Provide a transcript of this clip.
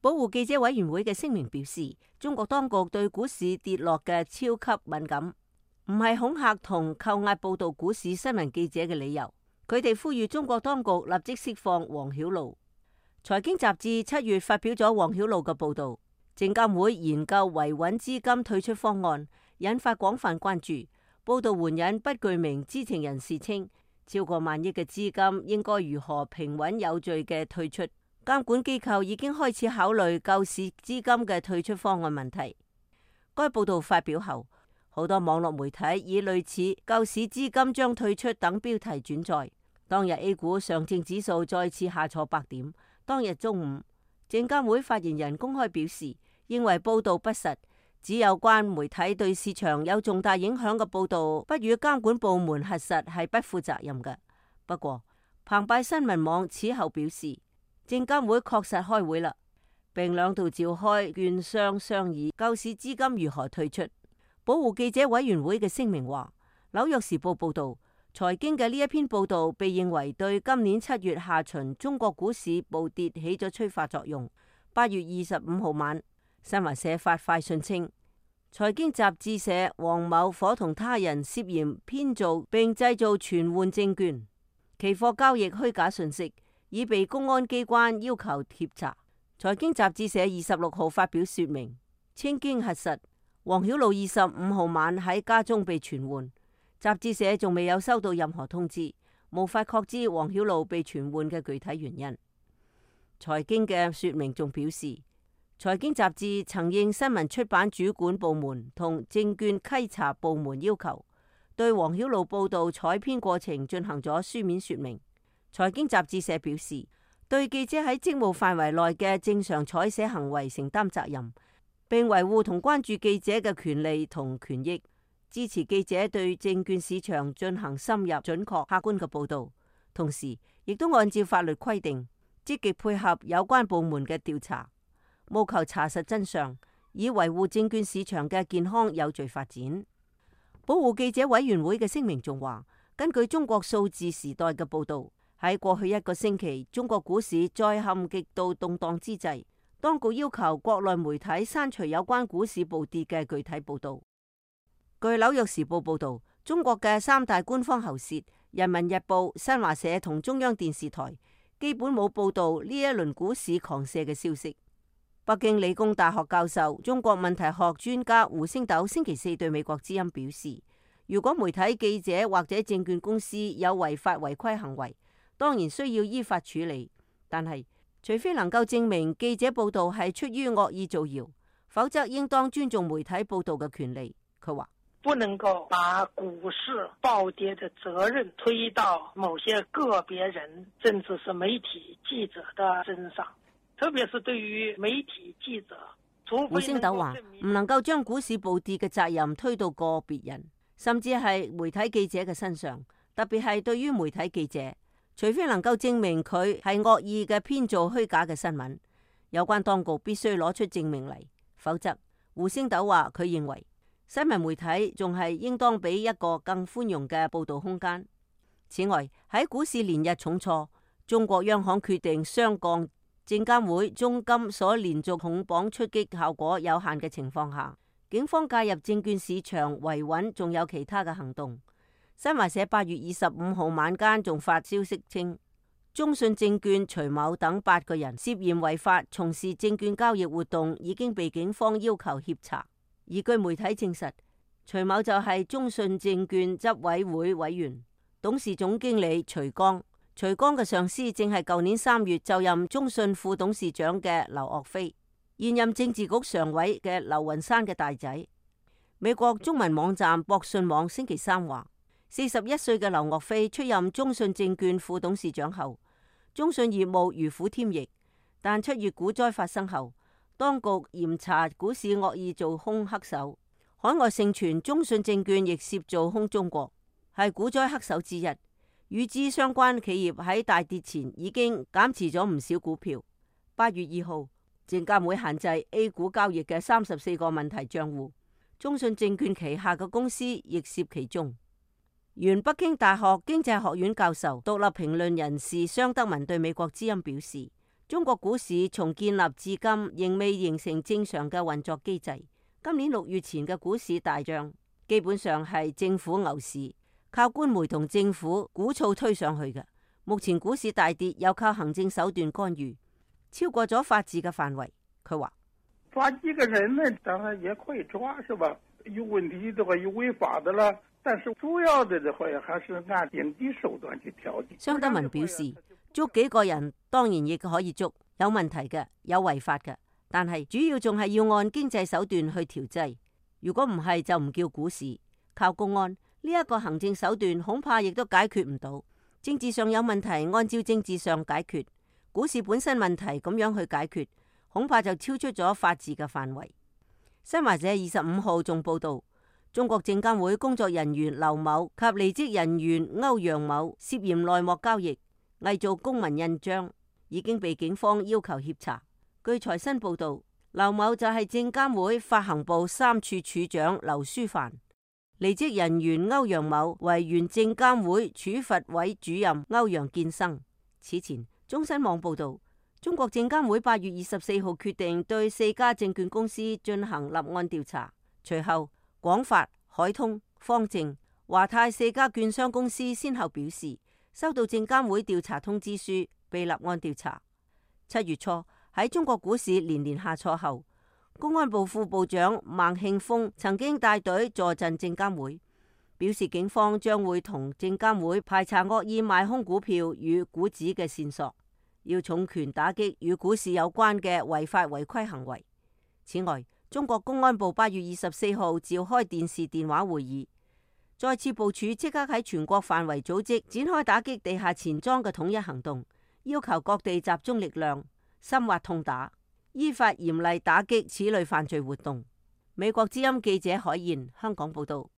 保護記者委員會嘅聲明表示，中國當局對股市跌落嘅超級敏感，唔係恐嚇同扣押報道股市新聞記者嘅理由。佢哋呼籲中國當局立即釋放王曉露。財經雜誌7月發表咗王曉露嘅報道，證監會研究維穩資金退出方案，引發廣泛關注。報道援引不具名知情人士稱，超過萬億嘅資金應該如何平穩有序嘅退出。監管機構已經開始考慮救市資金嘅退出方案問題。該報道發表後，好多網絡媒體以類似救市資金將退出等標題轉載。當日 A 股上證指數再次下挫100點。當日中午，證監會發言人公開表示，認為報道不實，指有關媒體對市場有重大影響嘅報道不予監管部門核實係不負責任嘅。不過，澎湃新聞網此後表示，證監會確實開會啦，並兩度召開券商商議救市資金如何退出。保護記者委員會嘅聲明話，紐約時報報道，財經嘅呢一篇報道被認為對今年7月下旬中國股市暴跌起咗催化作用。8月25號晚，新華社發快訊稱，財經雜誌社黃某夥同他人涉嫌編造並製造存換證券、期貨交易虛假信息，已被公安機關要求協查。財經雜誌社26號發表說明，稱經核實，王曉露25號晚喺家中被存換。雜誌社仲未有收到任何通知，無法確知王曉露被傳喚嘅具體原因。財經嘅說明仲表示，財經雜誌曾應新聞出版主管部門同證券稽查部門要求，對王曉露報道採編過程進行咗書面說明。財經雜誌社表示，對記者喺職務範圍內嘅正常採寫行為承擔責任，並維護同關注記者嘅權利同權益。支持記者對證券市場進行深入、準確、客觀嘅報導，同時亦都按照法律規定，積極配合有關部門嘅調查，務求查實真相，以維護證券市場嘅健康有序發展。保護記者委員會嘅聲明仲話，根據中國數字時代嘅報導，喺過去1個星期，中國股市再陷極度動盪之際，當局要求國內媒體刪除有關股市暴跌嘅具體報導。據紐約時報報道，中國嘅3大官方喉舌《人民日報》、新華社同中央電視台基本冇報道呢一輪股市狂瀉嘅消息。北京理工大學教授、中國問題學專家胡星斗星期4對美國之音表示，如果媒體記者或者證券公司有違法違規行為，當然需要依法處理，但係除非能夠證明記者報道係出於惡意造謠，否則應當尊重媒體報道嘅權利。佢話，不能夠把股市暴跌的責任推到某些個別人，甚至是媒體記者的身上，特別是對於媒體記者，胡星斗話唔能夠將股市暴跌嘅責任推到個別人，甚至係媒體記者嘅身上，特別係對於媒體記者，除非能夠證明佢係惡意嘅編造虛假嘅新聞，有關當局必須攞出證明嚟，否則胡星斗話佢認為新聞媒體仲係應當俾一個更寬容嘅報道空間。此外，喺股市連日重挫，中國央行決定雙降，證監會中金所連續控綁出擊效果有限嘅情況下，警方介入證券市場維穩，仲有其他嘅行動。新華社8月25號晚間仲發消息稱，中信證券徐某等8個人涉嫌違法從事證券交易活動，已經被警方要求協查。而據媒體證實，徐某就係中信證券執委會委員、董事總經理徐剛。徐剛嘅上司正係舊年3月就任中信副董事長嘅劉岳飛，現任政治局常委嘅劉雲山嘅大仔。美國中文網站博信網星期3話，41歲嘅劉岳飛出任中信證券副董事長後，中信業務如虎添翼，但7月股災發生後，當局嚴查股市惡意做空黑手，海外盛傳中信證券亦涉做空中國，係股災黑手之一。與之相關企業喺大跌前已經減持咗唔少股票。8月2號，證監會限制 A 股交易嘅34個問題賬戶，中信證券旗下嘅公司亦涉其中。原北京大學經濟學院教授、獨立評論人士商德文對美國之音表示，中國股市從建立至今仍未形成正常嘅運作機制。今年6月前嘅股市大漲，基本上係政府牛市，靠官媒同政府鼓噪推上去嘅。目前股市大跌，又靠行政手段干預，超過咗法治嘅範圍。佢話：抓幾個人呢，當然也可以抓，是吧？有問題的話，有違法的啦。但是主要的話，還是按經濟手段去調節。商德文表示，捉幾個人當然亦可以捉，有問題嘅，有違法嘅，但係主要仲係要按經濟手段去調劑。如果唔係，就唔叫股市。靠公安呢一個行政手段，恐怕亦都解決唔到。政治上有問題，按照政治上解決；股市本身問題咁樣去解決，恐怕就超出咗法治嘅範圍。新華社25號仲報道，中國證監會工作人員劉某及離職人員歐陽某涉嫌內幕交易、偽造公民印章，已經被警方要求協查。據財新報道，劉某就係證監會發行部3處處長劉書帆，離職人員歐陽某為原證監會處罰委主任歐陽建生。此前，中新網報道，中國證監會8月24號決定對4家證券公司進行立案調查。隨後，廣發、海通、方正、華泰4家券商公司先後表示收到證監會調查通知書，被立案調查。7月初喺中國股市連連下挫後，公安部副部長孟慶峰曾經帶隊坐鎮證監會，表示警方將會同證監會排查惡意賣空股票與股指嘅線索，要重拳打擊與股市有關嘅違法違規行為。此外，中國公安部8月24號召開電視電話會議，再次部署即刻喺全國範圍組織展開打擊地下錢莊嘅統一行動，要求各地集中力量，深挖痛打，依法嚴厲打擊此類犯罪活動。美國之音記者海燕香港報道。